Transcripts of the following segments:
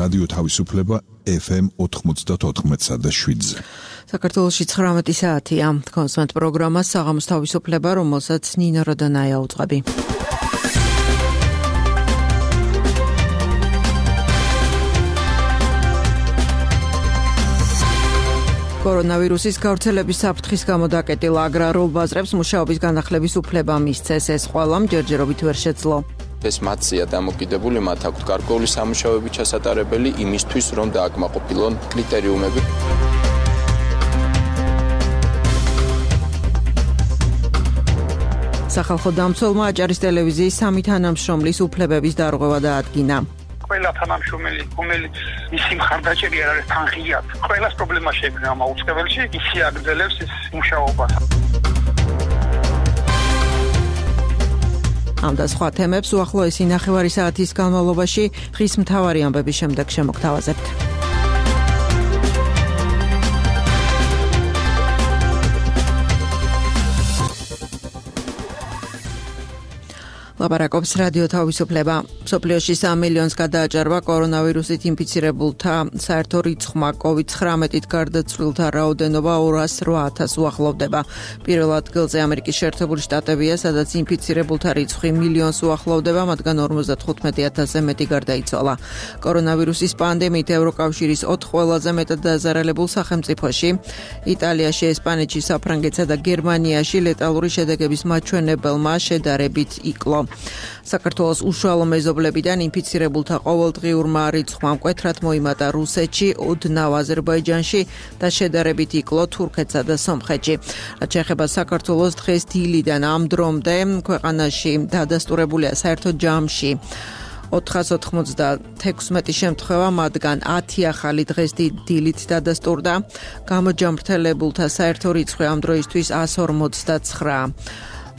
რადიო თავისუფლება FM 94.7-ზე. საქართველოში 19 საათია. კონსტანტ პროგრამა საღამოს თავისუფლება, რომელსაც ნინო როდანაია უძღვები. კორონავირუსის გავრცელების საფრთხის გამო დაკეტილ აგრარულ ბაზრებს მუშაობის განახლების უფლება მისცეს. ეს ყველამ ჯერჯერობით ვერ შეძლო. ეს მათზეა დამოკიდებული, მათ აქვთ გარკვეული სამუშაოები ჩასატარებელი იმისთვის, რომ დააკმაყოფილონ კრიტერიუმები. სახალხო დამცველმა აჭარის ტელევიზიის 3 თანამშრომლის უფლებების დარღვევა დაადგინა. ყველა თანამშრომელი, რომელიც მისი მხარდაჭერი არ არის თანხიათ, ყველას პრობლემა შეექმნა ამ უწყებელში, ისი აგრძელებს ეს მუშაობას. ამ და სხვა თემებს უახლოესი ნახევარი საათის განმავლობაში ხის მთავარი ამბების შემდეგ შემოგთავაზებთ. ლაპარაკობს რადიო თავისუფლება. მსოფლიოში 3 მილიონს გადააჭარბა კორონავირუსით ინფიცირებულთა საერთო რიცხვმა. COVID-19-ით გარდაცვლილთა რაოდენობა 208,000 უახლოვდება. პირველ ადგილზე ამერიკის შეერთებული შტატებია, სადაც ინფიცირებულთა რიცხვი მილიონს უახლოვდება, მათგან 55,000-ზე მეტი გარდაიცვალა. კორონავირუსის პანდემიით ევროკავშირის 4 ყველაზე მეტად დაზარალებულ სახელმწიფოში, იტალიაში, ესპანეთში, საფრანგეთსა და გერმანიაში ლეტალური შედეგების მაჩვენებელმა შედარებით იკლო. საქართველოს უშუალო მეზობლებიდან ინფიცირებულთა ყოველდღიურმა რიცხვმა მკვეთრად მოიმატა რუსეთში, ოდნავ აზერბაიჯანში და შედარებით იკლო თურქეთსა და სომხეთში. რაც შეეხება საქართველოს, დღეს დილიდან ამ დრომდე ქვეყანაში დადასტურებულია საერთო ჯამში 496 შემთხვევა, მათგან 10 ახალი დღეს დილით დადასტურდა. გამოჯამრთელებულთა საერთო რიცხვი ამ დროისთვის 159.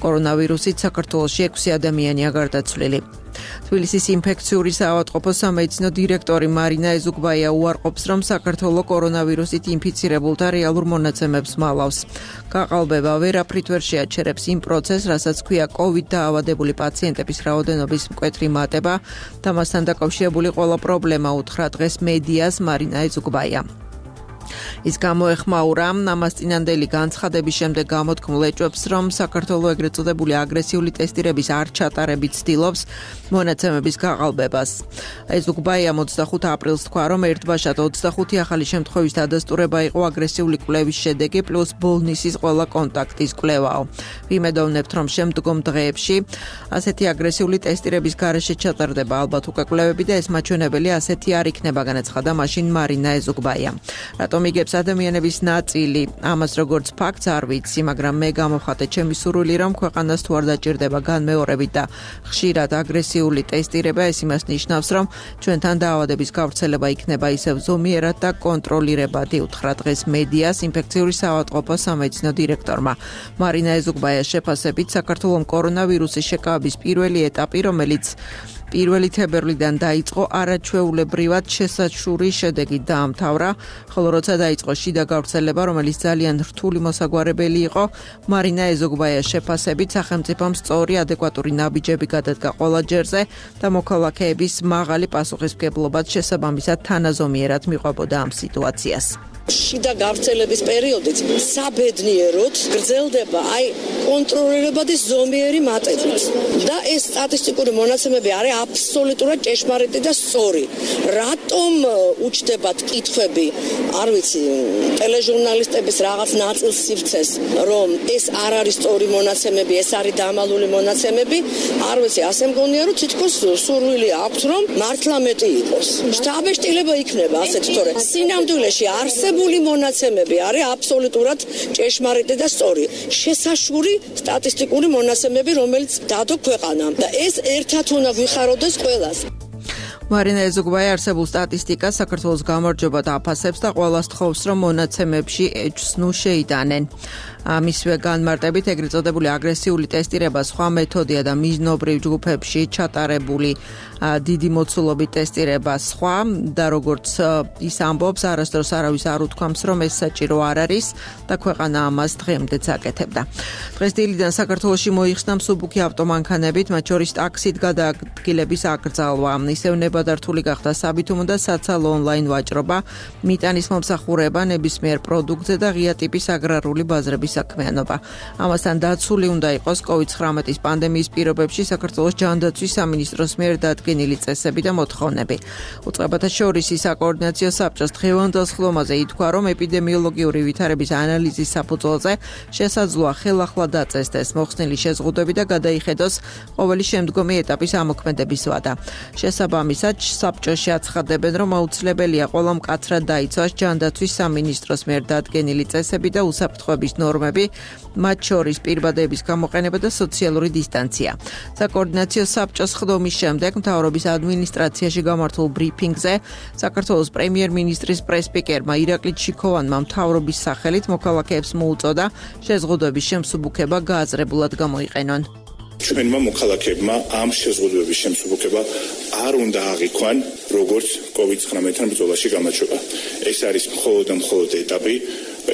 კორონავირუსით საქართველოში 6 ადამიანია გარდაცვლილი. თბილისის ინფექციური საავადმყოფოს სამედიცინო დირექტორი მარინა ეზუგბაია უარყოფს, რომ საქართველო კორონავირუსით ინფიცირებულთა რეალურ მონაცემებს მალავს. გაყალბება ვერაფრით ვერ შეაჩერებს იმ პროცესს, რასაც ქვია COVID დაავადებული პაციენტების რაოდენობის მკვეთრი მატება და მასთან დაკავშირებული ყველა პრობლემა უთხრა დღეს მედიას მარინა ეზუგბაია. ის გამოეხმაურა ამას წინანდელი განცხადების შემდეგ გამოთქმულ ეჭვებს, რომ საქართველო ეგრეთ წოდებული აგრესიული ტესტირების არ ჩატარებით ცდილობს მონაცემების გაყალბებას. ეზუგბაია 25 აპრილს თქვა, რომ ერთბაშად 25 ახალი შემთხვევის დადასტურება იყო აგრესიული კვლევის შედეგი პლუს ბოლნისის ყველა კონტაქტის კვლევაო. ვიმედოვნებთ, რომ შემდგომ დღეებში ასეთი აგრესიული ტესტირების გარეშე ჩატარდება ალბათ უკვე კვლევები და ეს მაჩვენებელი ასეთი არ იქნება, განაცხადა მაშინ მარინა ეზუგბაია. რატომ იგებს ადამიანების ნაწილი ამას როგორც ფაქტს არ ვიცი, მაგრამ მე გამოვხატე ჩემი სურვილი, რომ ქვეყანას თუ არ დაჭირდება განმეორებით და ხშირად აგრესიული ტესტირება, ეს იმას ნიშნავს, რომ ჩვენთან დაავადების გავრცელება იქნება ისევ ზომიერად და კონტროლირებადი, უთხრა დღეს მედიას ინფექციური საავადმყოფოს სამედიცინო დირექტორმა. მარინა ეზუგბაიას შეფასებით, საქართველოს კორონავირუსის შეკავების პირველი ეტაპი, რომელიც 1 თებერვლიდან დაიწყო, არაჩვეულებრივად შესაჩური შედეგით დაამთავრა, ხოლო როცა დაიწყო შიდა გავრცელება, რომელიც ძალიან რთული მოსაგვარებელი იყო, მარინა ეზუგბაიას შეფასებით, სახელმწიფომ სწორი ადეკვატური ნაბიჯები გადადგა ყველა ჯერზე და მოქალაქეების მაღალი პასუხისმგებლობაც შესაბამისად თანაზომიერად მიყვებოდა ამ სიტუაციას. შიდა გავრცელების პერიოდით საბედნიეროდ გრძელდება კონტროლირებადი ზომიერი მატებით და ეს სტატისტიკური მონაცემები არის აბსოლუტურად ჭეშმარიტი და სწორი. რატომ უჩნდებათ კითხვები, არ ვიცი, ტელეჟურნალისტების რაღაც ნაწილს სივრცეს, რომ ეს არ არის სწორი მონაცემები, ეს არის დამალული მონაცემები, არ ვიცი, ასე მგონია, რომ თითქოს სურვილი აქვს, რომ მართლა მეტი იყოს. შთაბეჭდილება იქნება ასეთ, თორე სინამდვილეში არსებული მონაცემები არის აბსოლუტურად ჭეშმარიტი და სწორი. შესაშური სტატისტიკური მონაცემები, რომელიც დადო ქვეყანამ და ეს ერთად უნდა ვიხაროდეს ყველას. მარინა ეზუგბაია არსებულ სტატისტიკას საქართველოს გამარჯვებად აფასებს და ყველას თხოვს, რომ მონაცემებში ეჭვს შეიტანენ. მისვე განმარტებით ეგრეთ წოდებული აგრესიული ტესტირება სხვა მეთოდია და მიზნობრივ ჯგუფებში ჩატარებული დიდი მოცულობით ტესტირება სხვა და როგორც ის ამბობს, არასდროს არავის არ უთქვამს, რომ ეს საჭირო არ არის და ქვეყანა ამას დღემდეც აკეთებდა. დღეს დილიდან საქართველოში მოიხსნა მსუბუქი ავტომანქანებით, მათ შორის ტაქსით გადაადგილების აკრძალვა. ისევ ნება გადართული გახდა საბითუმო და საცალო ონლაინ ვაჭრობა, მიტანის მომსახურება, ნებისმიერ პროდუქტზე და ღია ტიპის აგრარული ბაზრების საქმიანობა. ამასთან დაცული უნდა იყოს COVID-19 პანდემიის პირობებში საქართველოს ჯანდაცვის სამინისტროს მიერ დადგენილი წესები და მოთხოვნები. უწყებათა შორის საკოორდინაციო საბჭოს დღევანდელ ხდომაზე ითქვა, რომ ეპიდემიოლოგიური ვითარების ანალიზის საფუძველზე შესაძლოა ხელახლა დაწესდეს მოხსნილი შეზღუდვები და გადაიხედოს ყოველი შემდგომი ეტაპის ამოქმედების ვადა. შესაბამისად, საბჭოში აცხადებენ, რომ აუცილებელია ყველა მკაცრად დაიცვას ჯანდაცვის სამინისტროს მიერ დადგენილი წესები და უსაფრთხოების ნორმები, მათ შორის პირბადების გამოყენება და სოციალური დისტანცია. საკოორდინაციო საბჭოს ხდომის შემდეგ მთავრობის ადმინისტრაციაში გამართულ ბრიფინგზე საქართველოს პრემიერ-მინისტრის პრესპიკერმა ირაკლი ჩიქოვანმა მთავრობის სახელით მოქალაქეებს მოუწოდა შეზღუდვების შემსუბუქება გააზრებულად გამოიყენონ. ჩვენმა მოქალაქეებმა ამ შეზღუდვების შემსუბუქება არ უნდა აღიქვან როგორც COVID-19 ბრძოლაში გამარჯვება. ეს არის მხოლოდ და მხოლოდ ეტაპი,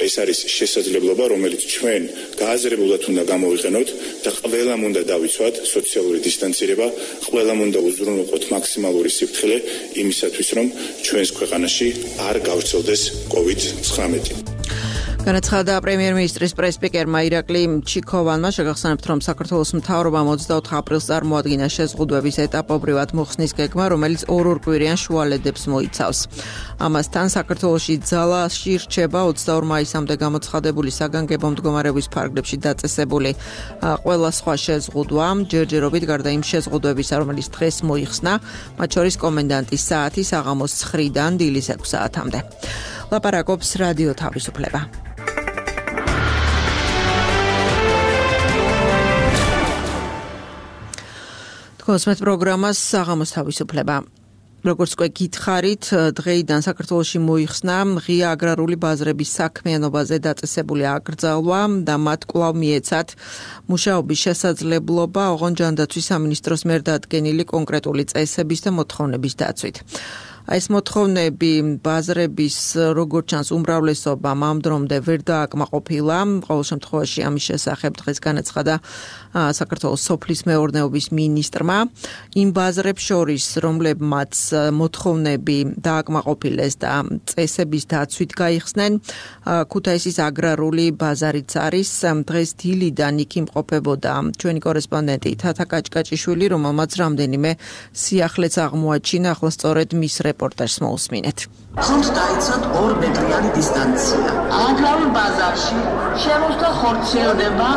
ეს არის შესაძლებლობა, რომელიც ჩვენ გააზრებულად უნდა გამოვიყენოთ და ყველამ უნდა დავიცვათ სოციალური დისტანცირება, ყველამ უნდა უზრუნველყოთ მაქსიმალური სიფრთხილე იმისათვის, რომ ჩვენს ქვეყანაში არ გავრცელდეს COVID-19. განაცხადა პრემიერ-მინისტრის პრესპიკერმა ირაკლი ჩიქოვანმა. შეგახსენებთ, რომ საქართველოს მთავრობამ 24 აპრილს წარმოადგინა შეზღუდვების ეტაპობრივად მოხსნის გეგმა, რომელიც ორ-ორკვირიან შუალედებს მოიცავს. ამასთან საქართველოში ძალაში რჩება 22 მაისამდე გამოცხადებული საგანგებო მდგომარეობის ფარგლებში დაწესებული ყველა სხვა შეზღუდვა, ჯერჯერობით გარდა იმ შეზღუდვებისა, რომელიც დღეს მოიხსნა, მათ შორის კომენდანტის საათი საღამოს 9-დან დილის 6 საათამდე. ლაპარაკობს რადიო თავისუფლება. კონსმეთ პროგრამას საღამოს თავისუფლება. როგორც უკვე გითხარით, დღეიდან საქართველოში მოიხსნა ღია აგრარული ბაზრების საქმიანობაზე დაწესებული აკრძალვა და მათ კვლავ მიეცათ მუშაობის შესაძლებლობა ოღონდ ჯანდაცვის სამინისტროს მიერ დადგენილი კონკრეტული წესების და მოთხოვნების დაცვით. ეს მოთხოვნები ბაზრების როგორც ჩანს უმრავლესობამ ამ დრომდე ვერ დააკმაყოფილა. ყოველ შემთხვევაში ამის შესახებ დღეს განაცხადა საქართველოს სოფლის მეურნეობის მინისტრმა. იმ ბაზრებს შორის, რომლებმაც მოთხოვნები დააკმაყოფილეს და წესების დაცვით გაიხსნენ, ქუთაისის აგრარული ბაზარიც არის. დღეს დილიდან იქ იმყოფებოდა ჩვენი კორესპონდენტი თათა კაჭკაჭიშვილი, რომელმაც რამდენიმე სიახლეც აღმოაჩინა. ახლა სწორედ მის რეპორტაჟს მოусმინეთ. ხომ დაიცვათ 2 მეტრიანი დისტანცია. აგრარულ ბაზარში შემოსვლა ხორციელდება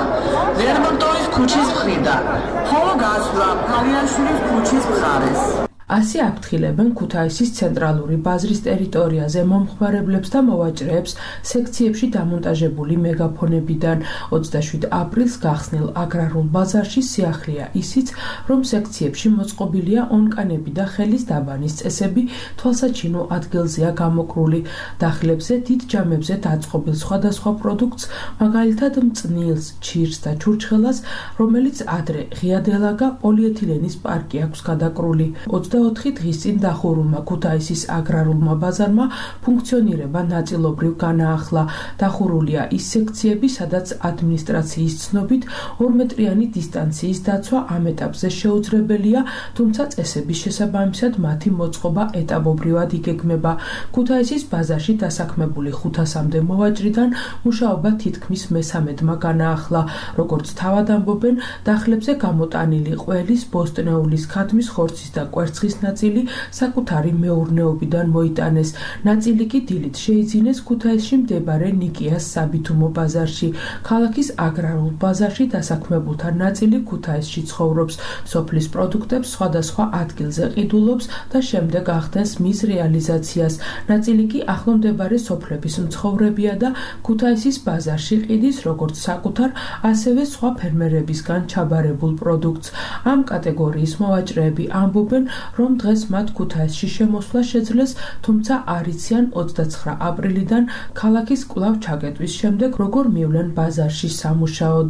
ლერმონტოვის ქუჩის მხრიდან, ხოლო გასვლა ფარიაშვილის ქუჩის მხარეს. ასე აფრთხილებენ ქუთაისის ცენტრალური ბაზრის ტერიტორიაზე მომხმარებლებს და მოვაჭრეებს სექციებში დამონტაჟებული მეგაფონებიდან. 27 აპრილს გახსნილ აგრარულ ბაზარში სიახლეა ისიც, რომ სექციებში მოწყობილია ონკანები და ხელის დაბანის წესები თვალსაჩინო ადგილზეა გამოკრული. დახლებზე დიდ ჯამებზე დაწყობილ სხვადასხვა პროდუქტს, მაგალითად მწნილს, ჩირს და ჩურჩხელას, რომელიც ადრე ღია დელაგა პოლიეთილენის პარკი აქვს გადაკრული. 24 დღის წინ დახურულმა ქუთაისის აგრარულმა ბაზარმა ფუნქციონირება ნაწილობრივ განაახლა. დახურულია ის სექციები, სადაც ადმინისტრაციის ცნობით 2 მეტრიანი დისტანციის დაცვა ამ ეტაპზე შეუძლებელია, თუმცა წესების შესაბამისად მათი მოწყობა ეტაპობრივად იგეგმება. ქუთაისის ბაზარში დასაქმებული 500-მდე მოვაჭრიდან მუშაობა თითქმის მე-13-მა განაახლა. როგორც თავად ამბობენ, დახლებზე გამოტანილი ყველის, ბოსტნეულის, ქათმის ხორცის და კვერცხის ნაწილი საკუთარი მეურნეობიდან მოიტანეს. ნაწილი კი დილით შეიძინეს ქუთაისში მდებარე ნიკიას საბითუმო ბაზარში. ქალაქის აგრარულ ბაზარში დასაქმებულთა ნაწილი ქუთაისში ცხოვრობს. სოფლის პროდუქტებს სხვადასხვა ადგილზე ყიდულობს და შემდეგ ახდენს მის რეალიზაციას. ნაწილი კი ახლო მდებარე სოფლების მცხოვრებია და ქუთაისის ბაზარში ყიდის როგორც საკუთარ, ასევე სხვა ფერმერებისგან ჩაბარებულ პროდუქტს. ამ კატეგორიის მოვაჭრეები ამბობენ, რომ დღეს მათ ქუთაისში შემოსვლა შეძლეს, თუმცა არ იციან 29 აპრილიდან ქალაქის კვლავ ჩაკეტვის შემდეგ როგორ მივლენ ბაზარში სამუშაოდ.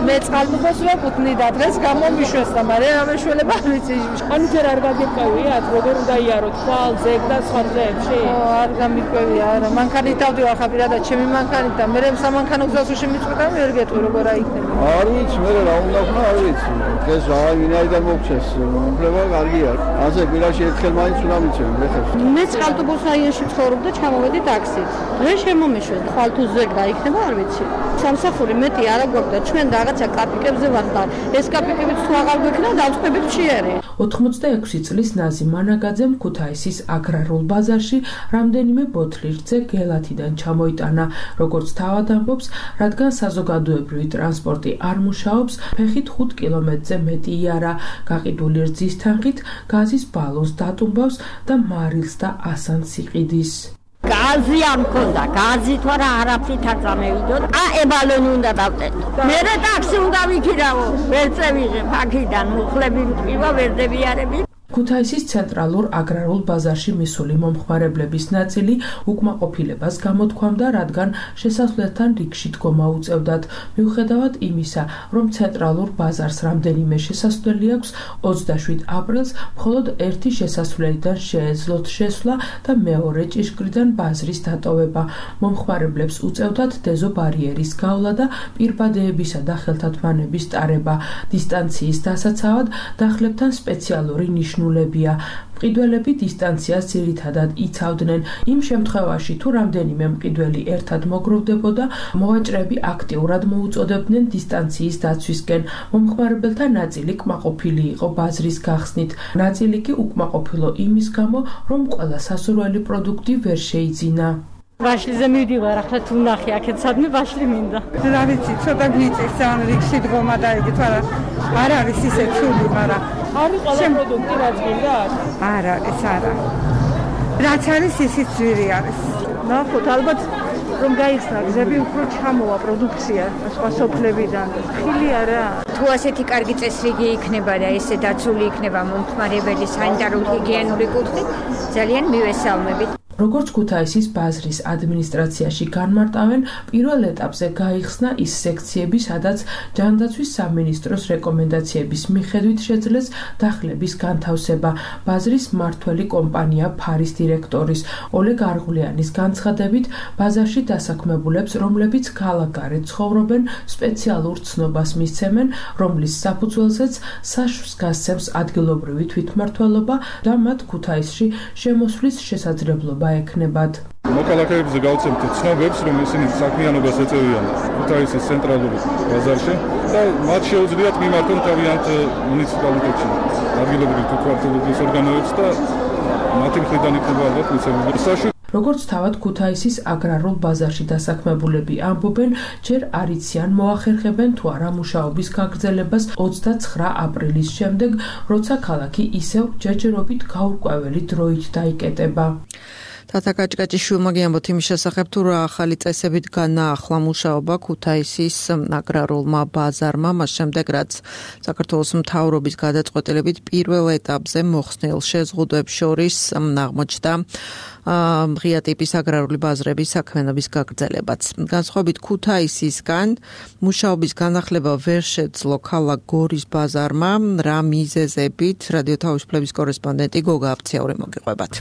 მე წყალმუხოს ვეკუთვნი და დღეს გამომიშვეს და მაგრამ ამეშველება არ ვიცი. ანუ ჯერ არ გაგიყვევიათ როგორ უნდა იაროთ ხვალ ზეგ და სხვა ძეებში? არ გამიყვევია, არა. მანქანით დავდივარ ხა პირადად ჩემი მანქანით და მე სამანქანო გზაში მიწვდა ვერ გეტყვი როგორ აიქნება. არ ვიცი, მე რა უნდა ვქნა, არ ვიცი. ეს ვინაიდან მოგჩეს, უფლება კარგია. ასე გილაში ერთხელ მაინც უნდა მიცემ, ეხლა. მე წყალტუბოს რაიონში ცხოვრობ და ჩამოვედი ტაქსით. დღეს შემომიშვეს, ხვალ თუ ზეგ დაიქნება, არ ვიცი. სამსახური მეტი არ აგვაქვს, ჩვენ რაღაცა კაპიკებზე ვართ და ეს კაპიკებიც თუ აღარ გვექნა, დავწყებით მშიერი. 86 წლის ნაზი მანაგაძემ ქუთაისის აგრარულ ბაზარში რამდენიმე ბოთლი რძე გელათიდან ჩამოიტანა, როგორც თავად ამბობს, რადგან საზოგადოებრივი ტრანსპორტი არ მუშაობს, ფეხით 5 კილომეტრზე მეტი იარა, გაყიდული რძის თანხით გაზის ბალონს დატუმბავს და მარილს და ასანს იყიდის. გაზი არ მქონდა, გაზი თუ არა არაფრით არ წამევიდო. ებალონი უნდა დავტეტო. მე ტაქსი უნდა ვიქირავო, ვერ წევიღებ აქედან, მუხლები მტკივა, ვერ დევიარები. ქუთაისის ცენტრალურ აგრარულ ბაზარში მისული მომხმარებლების ნაწილი უკმაყოფილებას გამოთქვამდა, რადგან შესასვლელთან რიგში დგომა უწევდათ. მიუხედავად იმისა, რომ ცენტრალურ ბაზარს რამდენიმე შესასვლელი აქვს, 27 აპრილს მხოლოდ ერთი შესასვლელიდან შეეძლოთ შესვლა და მეორე ჭიშკრიდან ბაზრის დატოვება. მომხმარებლებს უწევდათ დეზობარიერის გავლა და პირბადეებისა და ხელთათმანების ტარება. დისტანციის დასაცავად დახლებთან სპეციალური ნიშნულებია. მყიდველები დისტანციას ძირითადად იცავდნენ. იმ შემთხვევაში, თუ რამდენიმე მყიდველი ერთად მოგროვდებოდა, მოვაჭრეები აქტიურად მოუწოდებდნენ დისტანციის დაცვისკენ. მომხმარებელთა ნაწილი კმაყოფილი იყო ბაზრის გახსნით, ნაწილი კი უკმაყოფილო იმის გამო, რომ ყველა სასურველი პროდუქტი ვერ შეიძინა. ვაშლიზე მივდივარ, ახლა თუ ნახე აქეთ სადმე ვაშლი მინდა. რა ვიცი, ცოტა გვიწევს ან რიგში დგომა და იგი თუ არ არის ისე ცუდი, მაგრამ არის ყველა პროდუქტი რაც გინდათ? არ არის, არა. რაც არის ისიც ძვირი არის. ნახოთ, ალბათ რომ გაიხსნა გზები, უფრო ჩამოვა პროდუქცია სხვა სოფლებიდან. ხილი არა. თუ ასეთი კარგი წესრიგი იქნება და ესე დაცული იქნება მომხმარებელი სანიტარული ჰიგიენური კუთხით, ძალიან მივესალმებით. როგორც ქუთაისის ბაზრის ადმინისტრაციაში განმარტავენ, პირველ ეტაპზე გაიხსნა ის სექციები, სადაც ჯანდაცვის სამინისტროს რეკომენდაციების მიხედვით შეძლეს დახლების განთავსება. ბაზრის მმართველი კომპანია ფარის დირექტორის ოლეგ არღულიანის განცხადებით, ბაზარში დასაქმებულებს, რომლებიც ქალაქგარეთ ცხოვრობენ, სპეციალურ ცნობას მისცემენ, რომლის საფუძველზეც საშუს გასცემს ადგილობრივი თვითმმართველობა და მათ ქუთაისში შემოსვლის შესაძლებლობა ეკნებათ. მოქალაქეებზე გავცემთ ცნობებს, რომ ისინი საქმიანობას ეწევიან ქუთაისის ცენტრალურ ბაზარში და მათ შეუძლიათ მიმართონ თავიანთ მუნიციპალიტეტში ადგილობრივი თვითმმართველობის ორგანოებს და მათი მხრიდან იქნება ალბათ მიცემული. როგორც თავად ქუთაისის აგრარულ ბაზარში დასაქმებულები ამბობენ, ჯერ არ იციან მოახერხებენ თუ არა მუშაობის გაგრძელებას 29 აპრილის შემდეგ, როცა ქალაქი ისევ ჯერჯერობით გაურკვეველი დროით დაიკეტება. თათა კაჭკაჭიშვილმა გიამბოთ იმის შესახებ, თუ რა ახალი წესებით განაახლა მუშაობა ქუთაისის აგრარულმა ბაზარმა, მას შემდეგ რაც საქართველოს მთავრობის გადაწყვეტილებით პირველ ეტაპზე მოხსნილ შეზღუდვებს შორის აღმოჩნდა ღია ტიპის აგრარული ბაზრების საქმიანობის გაგრძელებაც. განსხვავებით ქუთაისისგან, მუშაობის განახლება ვერ შეძლო ქალაქ გორის ბაზარმა, რა მიზეზებით რადიო თავისუფლების კორესპონდენტი გოგა აფციური მოგიყვებათ.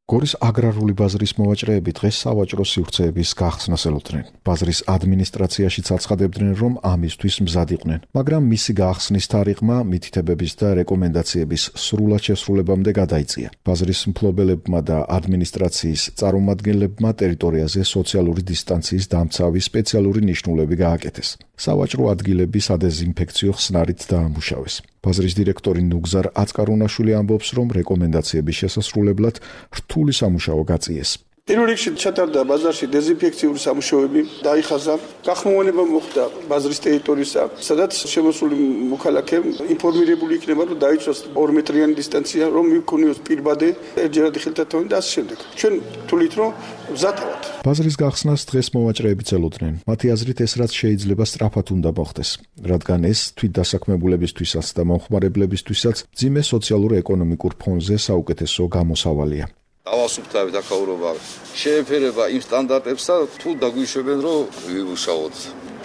გორის აგრარული ბაზრის მოვაჭრეები დღეს სავაჭრო სივრცეების გახსნას ელოდნენ. ბაზრის ადმინისტრაციაშიც აცხადებდნენ, რომ ამისთვის მზად იყვნენ, მაგრამ მისი გახსნის თარიღმა მითითებების და რეკომენდაციების სრულად შესრულებამდე გადაიწია. ბაზრის მფლობელებმა და ადმინისტრაციის წარმომადგენლებმა ტერიტორიაზე სოციალური დისტანციის დამცავი სპეციალური ნიშნულები გააკეთეს. სავაჭრო ადგილები სადეზინფექციო ხსნარით დაამუშავეს. ბაზრის დირექტორი ნუგზარ აწკარუნაშვილი ამბობს, რომ რეკომენდაციების შესასრულებლად რთული სამუშაო გაწიეს. პირველ რიგში ჩატარდა ბაზარში დეზინფექციური სამუშაოები, დაიხაზა, გახმოვანება მოხდა ბაზრის ტერიტორიისა, სადაც შემოსული მოქალაქე ინფორმირებული იქნება, რომ დაიცვას 2 მეტრიანი დისტანცია, რომ მიიქონიოს პირბადე, ერთჯერადი ხელთათმანი და ასე შემდეგ. ჩვენ თulit რომ მზად ვართ. ბაზრის გახსნას დღეს მოვაჭრეებიც ელოდნენ. მათი აზრით ეს რაც შეიძლება სწრაფად უნდა მოხდეს, რადგან ეს თვითდასაქმებულებისთვისაც და მომხმარებლებისთვისაც ძიმე სოციალურ-ეკონომიკურ ფონზე საუკეთესო გამოსავალია. ავასუფთავით აკაურობა შეეფერება იმ სტანდარტებს და თუ დაგვიშვებენ რომ ვიმუშაოთ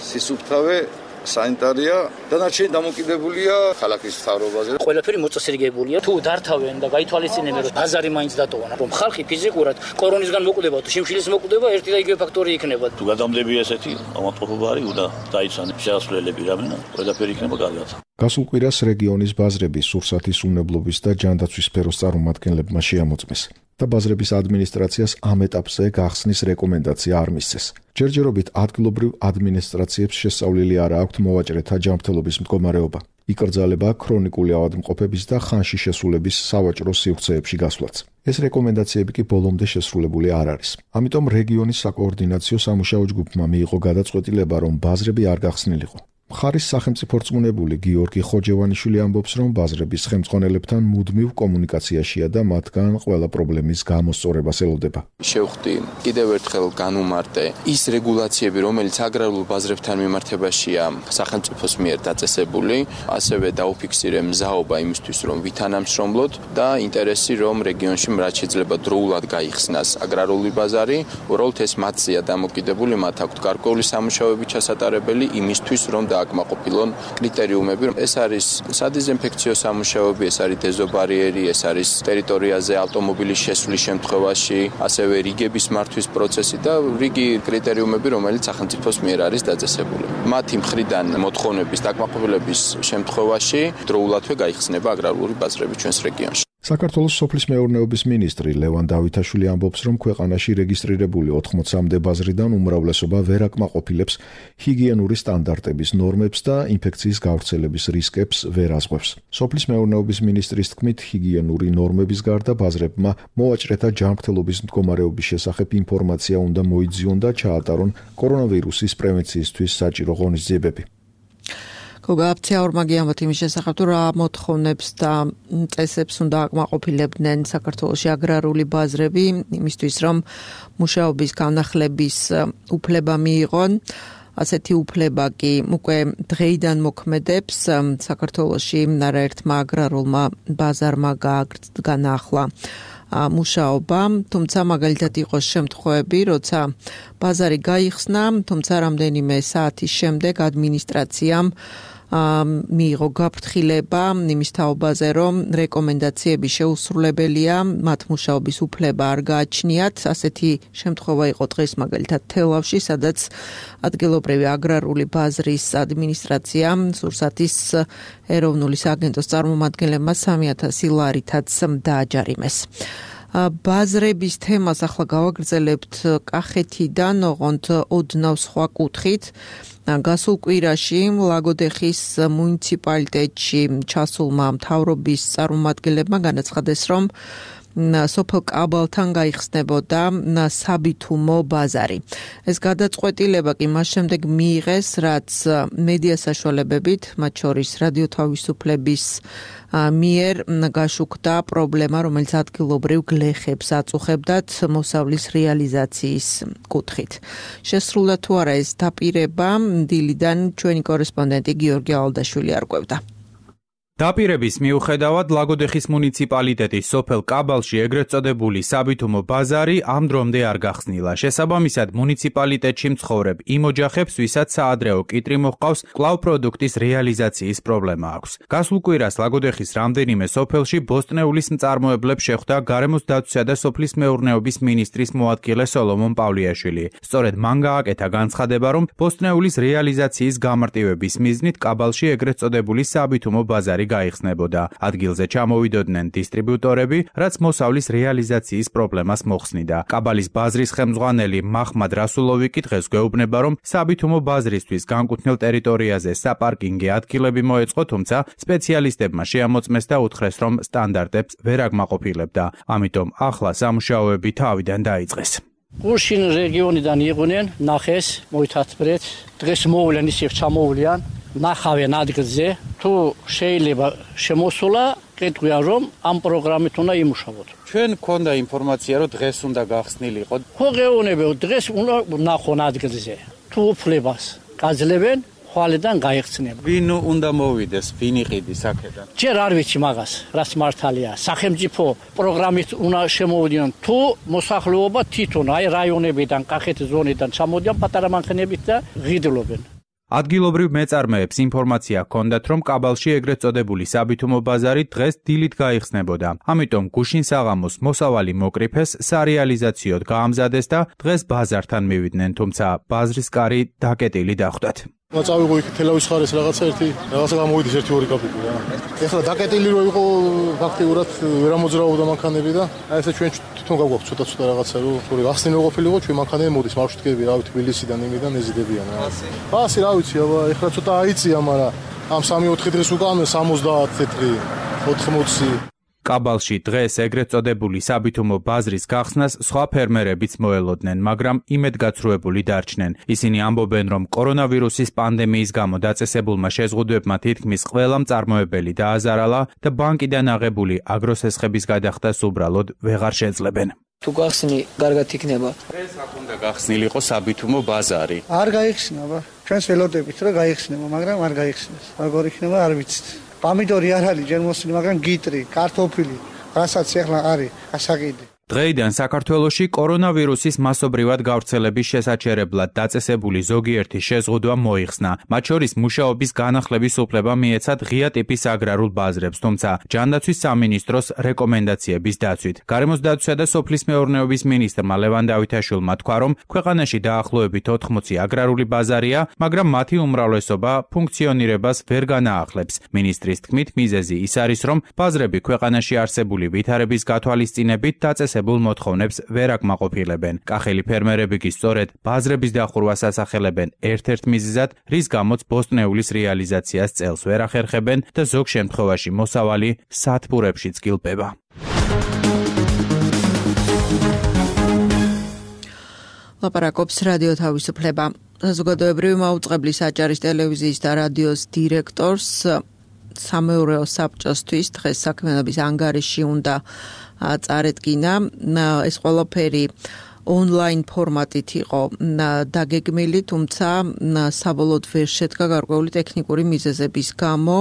სისუფთავე სანიტარია, დანარჩენი დამოკიდებულია ქალაქის მთავრობაზე. ყველაფერი მოწესრიგებულია. თუ დართავენ და გაითვალისწინებენ, რომ ბაზარი მაინც დატოვან, რომ ხალხი ფიზიკურად კორონისგან მოკვდება, თუ შიმშილის მოკვდება, ერთი და იგივე ფაქტორი იქნება. თუ გადამდები ესეთი ავადმყოფობა არის, უნდა დაიცვან შეასრულებლები რამენა, ყველაფერი იქნება კარგად. გასულ კვირას რეგიონის ბაზრები სურსათის უნებლობის და ჯანდაცვის სფეროს წარმომადგენლებმა შეამოწმეს და ბაზრების ადმინისტრაციას ამ ეტაპზე გახსნის რეკომენდაცია არ მისცეს. ჯერჯერობით ადგილობრივ ადმინისტრაციებს შესწავლილი არ აქვთ მოვაჭრეთა ჯანმრთელობის მდგომარეობა, იკრძალება ქრონიკული ავადმყოფების და ხანში შესულების სავაჭრო სივრცეებში გასვლაც. ეს რეკომენდაციები კი ბოლომდე შესრულებული არ არის. ამიტომ რეგიონის საკოორდინაციო სამუშაო ჯგუფმა მიიღო გადაწყვეტილება, რომ ბაზრები არ გახსნილიყო. მხარის სახელმწიფო რწმუნებული გიორგი ხოჯევანიშვილი ამბობს, რომ ბაზრების ხელმძღვანელებთან მუდმივ კომუნიკაციაშია და მათგან ყველა პრობლემის გამოსწორებას ელოდება. შევხვდი კიდევ ერთხელ განუმარტე ის რეგულაციები, რომელიც აგრარულ ბაზრებთან მიმართებაშია სახელმწიფოს მიერ დაწესებული, ასევე დაუფიქსირე მზაობა იმისთვის, რომ ვითანამშრომლოთ და ინტერესი, რომ რეგიონში რაც შეიძლება დროულად გაიხსნას აგრარული ბაზარი, უბრალოდ ეს მათზეა დამოკიდებული, მათ აქვთ გარკვეული სამუშაოები ჩასატარებელი იმისთვის, რომ აკმაყოფილონ კრიტერიუმები. ეს არის სადიზინფექციო სამუშაოები, ეს არის დეზობარიერი, ეს არის ტერიტორიაზე ავტომობილის შესვლის შემთხვევაში, ასევე რიგების მართვის პროცესი და რიგი კრიტერიუმები, რომელიც სახელმწიფოს მიერ არის დაწესებული. მათი მხრიდან მოთხოვნების დაკმაყოფილების შემთხვევაში დროულადვე გაიხსნება აგრარული ბაზრები ჩვენს რეგიონში. საქართველოს სოფლის მეურნეობის მინისტრი ლევან დავითაშვილი ამბობს, რომ ქვეყანაში რეგისტრირებული 80-მდე ბაზრიდან უმრავლესობა ვერ აკმაყოფილებს ჰიგიენური სტანდარტების ნორმებს და ინფექციის გავრცელების რისკებს ვერ ազღვევს. სოფლის მეურნეობის მინისტრის თქმით, ჰიგიენური ნორმების გარდა ბაზრებმა მოვაჭრეთა ჯანმრთელობის მდგომარეობის შესახებ ინფორმაცია უნდა მოიძიონ და ჩაატარონ კორონავირუსის პრევენციისთვის საჭირო ღონისძიებები. გოგაფცია ორმაგიანოთ იმის შესახებ, თუ რა მოთხოვნებს და წესებს უნდა აკმაყოფილებდნენ საქართველოში აგრარული ბაზრები იმისთვის, რომ მუშაობის განახლების უფლება მიიღონ. ასეთი უფლება კი უკვე დღეიდან მოქმედებს საქართველოში არაერთმა აგრარულმა ბაზარმა განახლა მუშაობა, თუმცა მაგალითად იყოს შემთხვევები, როცა ბაზარი გაიხსნა, თუმცა რამდენიმე საათის შემდეგ ადმინისტრაციამ მიიღო გაფრთხილება იმის თაობაზე, რომ რეკომენდაციები შეუსრულებელია, მათ მუშაობის უფლება არ გააჩნიათ. ასეთი შემთხვევა იყო დღეს მაგალითად თელავში, სადაც ადგილობრივი აგრარული ბაზრის ადმინისტრაცია სურსათის ეროვნული სააგენტოს წარმომადგენლებმა 3000 ლარითაც დააჯარიმეს. ბაზრების თემას ახლა გავაგრძელებთ კახეთიდან, ოღონდ ოდნავ სხვა კუთხით. გასულ კვირაში ლაგოდეხის მუნიციპალიტეტში ჩასულმა მთავრობის წარმომადგენლებმა განაცხადეს, რომ სოფელ კაბალთან გაიხსნებოდა საბითუმო ბაზარი. ეს გადაწყვეტილება კი მას შემდეგ მიიღეს, რაც მედია საშუალებებით, მათ შორის რადიო თავისუფლების მიერ გაშუქდა პრობლემა, რომელიც ადგილობრივ გლეხებს აწუხებდათ მოსავლის რეალიზაციის კუთხით. შესრულდა თუ არა ეს დაპირება, დილიდან ჩვენი კორესპონდენტი გიორგი ალდაშვილი არკვევდა. დაპირების მიუხედავად ლაგოდეხის მუნიციპალიტეტის სოფელ კაბალში ეგრეთ წოდებული საბითუმო ბაზარი ამ დრომდე არ გახსნილა. შესაბამისად, მუნიციპალიტეტში მცხოვრებ იმ ოჯახებს, ვისაც საადრეო კიტრი მოჰყავს, კვლავ პროდუქტის რეალიზაციის პრობლემა აქვს. გასულ კვირას ლაგოდეხის რამდენიმე სოფელში ბოსტნეულის მწარმოებლებს შეხვდა გარემოს დაცვისა და სოფლის მეურნეობის მინისტრის მოადგილე სოლომონ პავლიაშვილი. სწორედ მან გააკეთა განცხადება, რომ ბოსტნეულის რეალიზაციის გამარტივების მიზნით კაბალში ეგრეთ წოდებული საბითუმო ბაზარი გაიხსნებოდა. ადგილზე ჩამოვიდოდნენ დისტრიბუტორები, რაც მოსავლის რეალიზაციის პრობლემას მოხსნიდა. კაბალის ბაზრის ხელმძღვანელი მაჰმად რასულოვი კი დღეს გვეუბნება, რომ საბითუმო ბაზრისთვის განკუთვნილ ტერიტორიაზე საპარკინგი ადგილები მოეწყო, თუმცა სპეციალისტებმა შეამოწმეს და უთხრეს, რომ სტანდარტებს ვერ აკმაყოფილებდა. ამიტომ ახლა სამუშაოები თავიდან დაიწყეს. გუშინ რეგიონიდან იყვნენ, ნახეს, მოითათბრეთ, დღეს მოვლენ ისევ ჩამოვლიან. ნახავენ ადგილზე, თუ შეიძლება შემოსულა, კეთვია რომ ამ პროგრამით უნდა იმუშაოთ. ჩვენ გქონდა ინფორმაცია, რომ დღეს უნდა გახსნილიყო. ხო გეუბნებო, დღეს უნდა ნახონ ადგილზე. თუ უფლებას გაძლევენ, ხვალიდან გაიხსნება. ვინ უნდა მოვიდეს, ვინ იყიდის აქედან? ჯერ არ ვიცი მაგას, რაც მართალია. სახელმწიფო პროგრამით უნდა შემოვიდნენ, თუ მოსახლეობა თვითონ აი რაიონებიდან, კახეთის ზონიდან ჩამოდიან პატარა მანქანებით და ღიდლობენ. ადგილობრივ მეწარმეებს ინფორმაცია ჰქონდათ, რომ კაბალში ეგრეთ წოდებული საბითუმო ბაზარი დღეს დილით გაიხსნებოდა. ამიტომ გუშინ საღამოს მოსავალი მოკრიფეს, სარეალიზაციოდ გაამზადეს და დღეს ბაზართან მივიდნენ, თუმცა ბაზრის კარი დაკეტილი დახვდათ. წავიღო იქ თელავის ხარეს რაღაცა გამოვიდეს 1-2 კაპიკი რა. ეხლა დაკეტილი რო იყო ფაქტიურად ვერ ამოძრავდა მანქანები და აი ესე ჩვენ თვითონ გავგვაქვს ცოტა რაღაცა რო გახსნილი ყოფილიყო ჩვენ მანქანები მოდის მარშრუტკები რა ვიცი თბილისიდან იმიდან ეზიდებიან რა. ასე რა ვიცი აბა ეხლა ცოტა აიწია მაგრამ ამ 3-4 დღეს უკან 70 წელი 80 კაბალში დღეს ეგრეთ წოდებული საბითუმო ბაზრის გახსნას სხვა ფერმერებიც მოელოდნენ, მაგრამ იმედგაცრუებული დარჩნენ. ისინი ამბობენ, რომ კორონავირუსის პანდემიის გამო დაწესებულმა შეზღუდვებმა თითქმის ყველა მწარმოებელი დააზარალა და ბანკიდან აღებული აგროსესხების გადახდას უბრალოდ ვეღარ შეძლებენ. თუ გახსნი, კარგად იქნება. დღეს აქ უნდა გახსნილიყო საბითუმო ბაზარი. არ გაიხსნა, ჩვენს ველოდებით რა გაიხსნება, მაგრამ არ გაიხსნეს. როგორ იქნება, არ ვიცით. Pomidori არ არის ჯერ მოსული, მაგრამ გიტრი, კარტოფილი, რასაც ახლა არის გასაყიდი. დღეიდან საქართველოში კორონავირუსის მასობრივად გავრცელების შესაჩერებლად დაწესებული ზოგიერთი შეზღუდვა მოიხსნა. მათ შორის მუშაობის განახლების უფლება მიეცათ ღია ტიპის აგრარულ ბაზრებს, თუმცა ჯანდაცვის სამინისტროს რეკომენდაციების დაცვით. გარემოს დაცვისა და სოფლის მეურნეობის მინისტრმა ლევან დავითაშვილმა თქვა, რომ ქვეყანაში დაახლოებით 80 აგრარული ბაზარია, მაგრამ მათი უმრავლესობა ფუნქციონირებას ვერ განაახლებს. მინისტრის თქმით, მიზეზი ის არის, რომ ბაზრები ქვეყანაში არსებული ვითარების გათვალისწინებით დაწესებულ მოთხოვნებს ვერ აკმაყოფილებენ. კახელი ფერმერები კი სწორედ ბაზრების დახურვას ასახელებენ ერთ-ერთ მიზეზად, რის გამოც ბოსტნეულის რეალიზაციას წელს ვერ ახერხებენ და ზოგ შემთხვევაში მოსავალი სათბურებშიც გილპება. ლაპარაკობს რადიო თავისუფლება. საზოგადოებრივი მაუწყებლის აჭარის ტელევიზიის და რადიოს დირექტორს სამეურვეო საბჭოსთვის დღეს საქმიანობის ანგარიში უნდა წარედგინა. ეს ყველაფერი ონლაინ ფორმატით იყო დაგეგმილი, თუმცა საბოლოოდ ვერ შედგა გარკვეული ტექნიკური მიზეზების გამო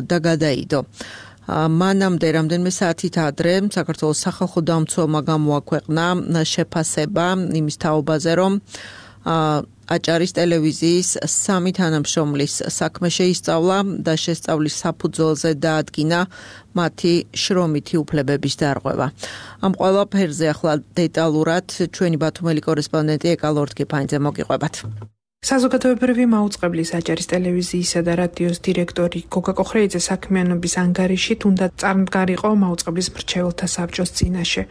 და გადაიდო. მანამდე რამდენიმე საათით ადრე საქართველოს სახალხო დამცველმა გამოაქვეყნა შეფასება იმის თაობაზე, რომ აჭარის ტელევიზიის 3 თანამშრომლის საქმე შეისწავლა და შესწავლის საფუძველზე დაადგინა მათი შრომითი უფლებების დარღვევა. ამ ყველაფერზე ახლა დეტალურად ჩვენი ბათუმელი კორესპონდენტი ეკა ლორთქიფანიძე მოგიყვებათ. საზოგადოებრივი მაუწყებლის აჭარის ტელევიზიისა და რადიოს დირექტორი გოგა კოხრეიძე საქმიანობის ანგარიშით უნდა წარმდგარიყო მაუწყებლის მრჩეველთა საბჭოს წინაშე.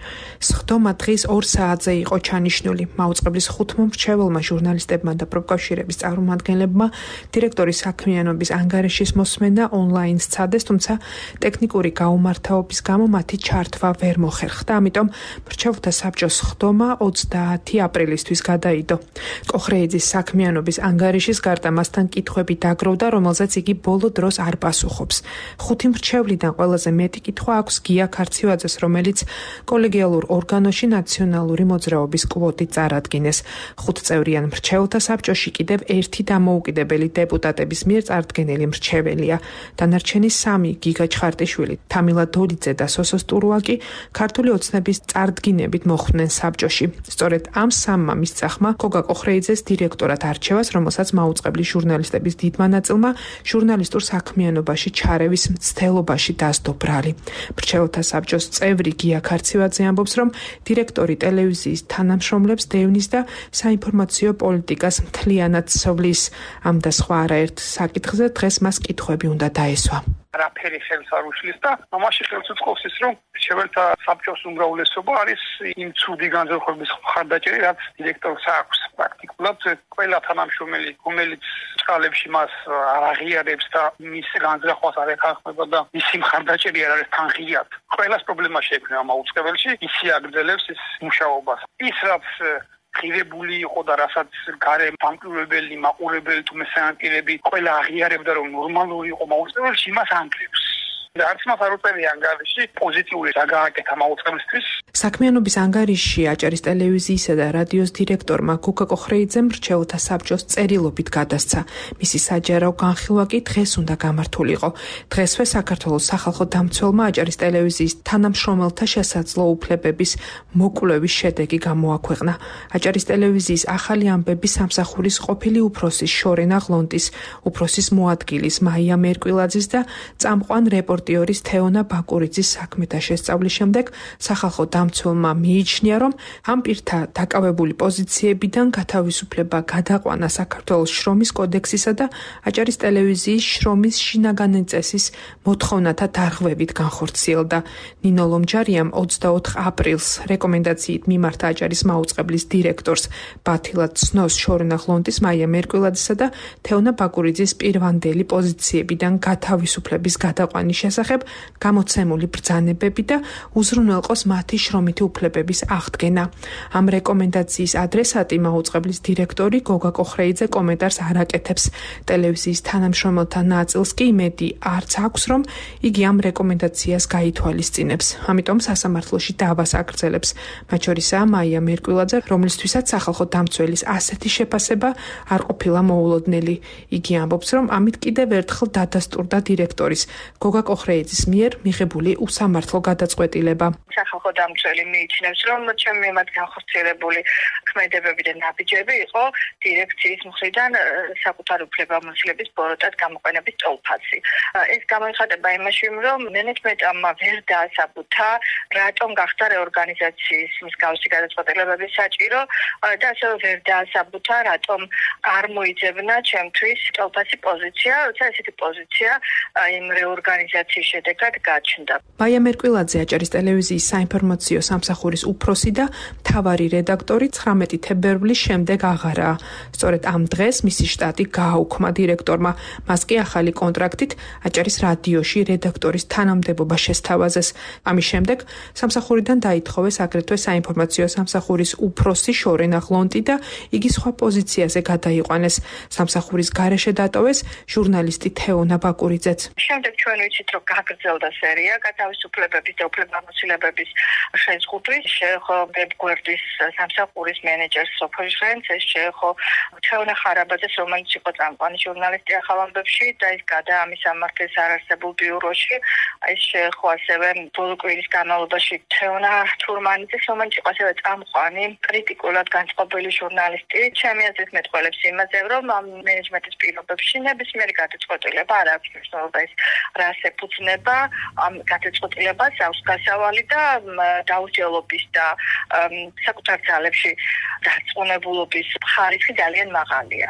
სხდომა დღის 2 საათზე იყო ჩანიშნული. მაუწყებლის 5 მრჩეველმა ჟურნალისტებმა და პროფკავშირების წარმომადგენლებმა დირექტორის საქმიანობის ანგარიშის მოსმენა ონლაინ სცადეს, თუმცა ტექნიკური გაუმართავობის გამო მათი ჩართვა ვერ მოხერხდა. ამიტომ მრჩეველთა საბჭოს სხდომა 30 აპრილისთვის გადაიდო. კოხრეიძის საქმიანობის ანგარიშის გარდა მასთან კითხვები დაგროვდა, რომელზეც იგი ბოლო დროს არ პასუხობს. 5 მრჩევლიდან ყველაზე მეტი კითხვა აქვს გია ქარცივაძეს, რომელიც კოლეგიალურ ორგანოში ნაციონალური მოძრაობის კვოტით წარადგინეს. 5 წევრიან მრჩეველთა საბჭოში კიდევ 1 დამოუკიდებელი დეპუტატების მიერ წარდგენილი მრჩეველია. დანარჩენი 3 გიგა ჩხარტიშვილი, თამილა დოლიძე და სოსო სტურუაკი ქართული ოცნების წარდგინებით მოხვდნენ საბჭოში. სწორედ ამ 3-მა მისწახმა გოგა კოხრეიძეს დირექტორად არჩევას, რომელსაც მაუწყებლის ჟურნალისტების დიდმა ნაწილმა ჟურნალისტურ საქმიანობაში ჩარევის მცდელობაში დასდო ბრალი. მრჩეველთა საბჭოს წევრი გია ქარცივაძე ამბობს, რომ დირექტორი ტელევიზიის თანამშრომლებს დევნის და საინფორმაციო პოლიტიკას მთლიანად ცვლის. ამ და სხვა არაერთ საკითხზე დღეს მას კითხვები უნდა დაესვა. არაფერი ხელს არ უშლის და ამაში ხელს უწყობს ის, რომ მრჩეველთა საბჭოს უმრავლესობა არის იმ ცუდი განზრახების მხარდაჭერი, რაც დირექტორს აქვს. პრაქტიკულად ყველა თანამშრომელი, რომელიც წყალებში მას არ აღიარებს და მის განზრახვას არ ეთანხმება და მისი მხარდაჭერი არ არის თან ღიად, ყველას პრობლემა შეექმნება მაუწყებელში, ისი აგრძელებს ის მუშაობას. ის რაც ღირებული იყო და რასაც გარე დამკვირვებელი, მაყურებელი თუ მესამე პირები ყველა აღიარებდა, რომ ნორმალური იყო მაუწყებელში, იმას ანგრევს. არც მას არ უწევია ანგარიში პოზიტიური საგააკეთა მაუწყებლისთვის. საქმიანობის ანგარიშში აჭარის ტელევიზიისა და რადიოს დირექტორმა გუგა კოხრეიძემ მრჩეველთა საბჭოს წერილობით გადასცა. მისი საჯარო განხილვა კი დღეს უნდა გამართულიყო. დღესვე საქართველოს სახალხო დამცველმა აჭარის ტელევიზიის თანამშრომელთა შესაძლო უფლებების მოკვლევის შედეგი გამოაქვეყნა. აჭარის ტელევიზიის ახალი ამბები სამსახურის ყოფილი უფროსის შორენა ღლონტის, უფროსის მოადგილის მაია მერკვილაძის და წამყვან რეპორტიორის თეონა ბაკურიძის საქმეთა შესწავლის შემდეგ სახალხო დამცველმა მიიჩნია, რომ ამ პირთა დაკავებული პოზიციებიდან გათავისუფლება გადაყვანა საქართველოს შრომის კოდექსისა და აჭარის ტელევიზიის შრომის შინაგანი წესის მოთხოვნათა დარღვევით განხორციელდა. ნინო ლომჯარიამ 24 აპრილს რეკომენდაციით მიმართა აჭარის მაუწყებლის დირექტორს ბათილად ცნოს შორენა ღლონტის მაია მერკვილაძისა და თეონა ბაკურიძის პირვანდელი პოზიციებიდან გათავისუფლების გადაყვანის შესახებ გამოცემული ბრძანებები და უზრუნველყოს მათი შრომითი უფლებების აღდგენა. ამ რეკომენდაციის ადრესატი მაუწყებლის დირექტორი გოგა კოხრეიძე კომენტარს არ აკეთებს. ტელევიზიის თანამშრომელთა ნაწილს კი იმედი არც აქვს, რომ იგი ამ რეკომენდაციას გაითვალისწინებს. ამიტომ სასამართლოში დავას აგრძელებს. მათ შორისაა მაია მერკვილაძე, რომლისთვისაც სახალხო დამცველის ასეთი შეფასება არ ყოფილა მოულოდნელი. იგი ამბობს, რომ ამით კიდევ ერთხელ დადასტურდა დირექტორის გოგა კოხრეიძის მიერ მიღებული უსამართლო გადაწყვეტილება. სახალხო დამცველი მიიჩნევს, რომ ჩემი მიმართ განხორციელებული ქმედებები და ნაბიჯები იყო დირექციის მხრიდან საკუთარი უფლებამოსილების ბოროტად გამოყენების ტოლფასი. ეს გამოიხატება იმაში, რომ მენეჯმენტმა ვერ დაასაბუთა, რატომ გახდა რეორგანიზაციის მსგავსი გადაწყვეტილებები საჭირო და ასევე ვერ დაასაბუთა, რატომ არ მოიძებნა ჩემთვის ტოლფასი პოზიცია, როცა ესეთი პოზიცია იმ რეორგანიზაციის შედეგად გაჩნდა. მაია მერკვილაძე აჭარის ტელევიზიის საინფორმაციო სამსახურის უფროსი და მთავარი რედაქტორი 19 თებერვლის შემდეგ აღარაა. სწორედ ამ დღეს მისი შტატი გააუქმა დირექტორმა. მას კი ახალი კონტრაქტით აჭარის რადიოში რედაქტორის თანამდებობა შესთავაზეს. ამის შემდეგ სამსახურიდან დაითხოვეს აგრეთვე საინფორმაციო სამსახურის უფროსი შორენა ღლონტი და იგი სხვა პოზიციაზე გადაიყვანეს. სამსახურის გარეშე დატოვეს ჟურნალისტი თეონა ბაკურიძეც. შემდეგ ჩვენ ვიცით, რომ გაგრძელდა სერია გათავისუფლებების და უფლებამოსილებების შეზღუდვის, შეეხო ვებგვერდის სამსახურის მენეჯერს სოფელ ჟღენცეს, შეეხო თეონა ხარაბაძეს, რომელიც იყო წამყვანი ჟურნალისტი ახალ ამბებში და ის გადა ამის სამართლის არარსებულ ბიუროში. ეს შეეხო ასევე ბოლო კვირის განმავლობაში თეონა თურმანიძეს, რომელიც იყო ასევე წამყვანი კრიტიკულად განწყობილი ჟურნალისტი. ჩემი აზრით მეტყველებს იმაზე, რომ ამ მენეჯმენტის პირობებში ნებისმიერი გადაწყვეტილება არ აქვს მნიშვნელობა, ის რას ეფუძნება, ამ გადაწყვეტილებას აქვს გასავალი და დაუსჯელობის და საკუთარ ძალებში დარწმუნებულობის ხარისხი ძალიან მაღალია.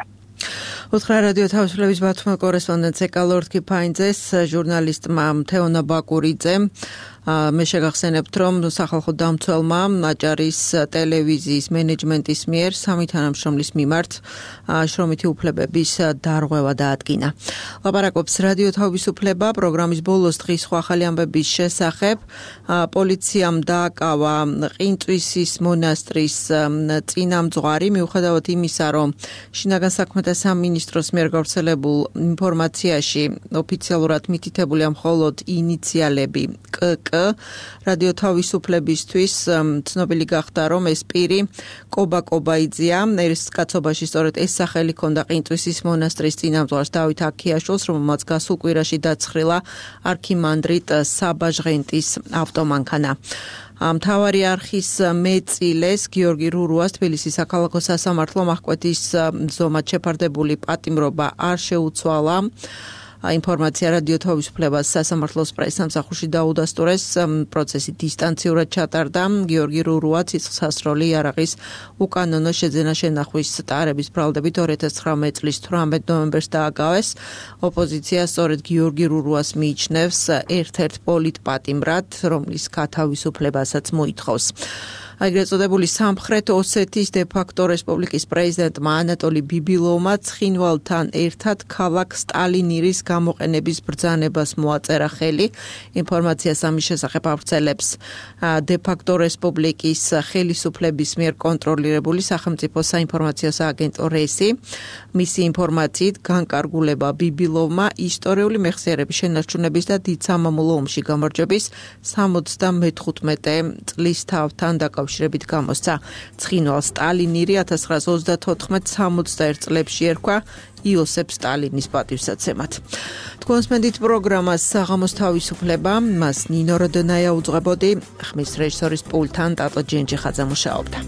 უთხრა რადიო თავისუფლების ბათუმის კორესპონდენტ ეკალორდ კიფაინძეს ჟურნალისტმა თეონა ბაკურიძემ მე შეგახსენებთ, რომ სახალხო დამცველმა აჭარის ტელევიზიის მენეჯმენტის მიერ სამი თანამშრომლის მიმართ შრომითი უფლებების დარღვევა დაადგინა. ლაპარაკობს რადიო თავისუფლება პროგრამის ბოლოს დღის სხვა ახალი ამბების შესახებ. პოლიციამ დააკავა ყინწვისის მონასტრის წინამძღვარი, მიუხედავად იმისა, რომ შინაგან საქმეთა სამინისტროს მიერ გავრცელებულ ინფორმაციაში ოფიციალურად მითითებულია მხოლოდ ინიციალები კკ. რადიო თავისუფლებისთვის ცნობილი გახდა, რომ ეს პირი კობა კობაიძეა. ეს კაცობაში სწორედ ეს სახელი ჰქონდა ყინწვისის მონასტრის წინამძღვარს დავით აქიაშვილს, რომელმაც გასულ კვირაში დაცხრილა არქიმანდრიტ საბა ჟღენტის ავტომანქანა. მთავარი არხის მეწილეს გიორგი რურუას თბილისის საქალაქო სასამართლომ აღკვეთის ზომად შეფარდებული პატიმრობა არ შეუცვალა. ინფორმაცია რადიო თავისუფლებას სასამართლოს პრესსამსახურში დაუდასტურეს. პროცესი დისტანციურად ჩატარდა. გიორგი რურუა ცისხლსასროლი იარაღის უკანონო შეძენა-შენახვის ტარების ბრალდებით 2019 წლის 18 ნოემბერს დააგავეს. ოპოზიცია სწორედ გიორგი რურუას მიიჩნევს ერთ-ერთ პოლიტპატიმრად, რომლის გათავისუფლებასაც მოითხოვს. ეგრეთ წოდებული სამხრეთ ოსეთის დე-ფაქტო რესპუბლიკის პრეზიდენტმა ანატოლი ბიბილოვმა ცხინვალთან ერთად ქალაქ სტალინირის გამოყენების ბრძანებას მოაწერა ხელი. ინფორმაციას ამის შესახებ ავრცელებს დე-ფაქტო რესპუბლიკის ხელისუფლების მიერ კონტროლირებული სახელმწიფო საინფორმაციო სააგენტო რესი. მისი ინფორმაციით განკარგულება ბიბილოვმა ისტორიული მეხსიერების შენარჩუნების და დიდ სამამულო ომში გამარჯვების 75 წლის თავთან დაკავშირებით გამოსცა. ცხინვალ სტალინირი 1934-61 წლებში ერქვა იოსებ სტალინის პატივსაცემად. თქვენს მედით პროგრამას საღამოს თავისუფლება, მას ნინო როდონაია უძღვებოდი, ხმის რეჟისორის პულტთან ტატო ჯენჯიხაძე მუშაობდა.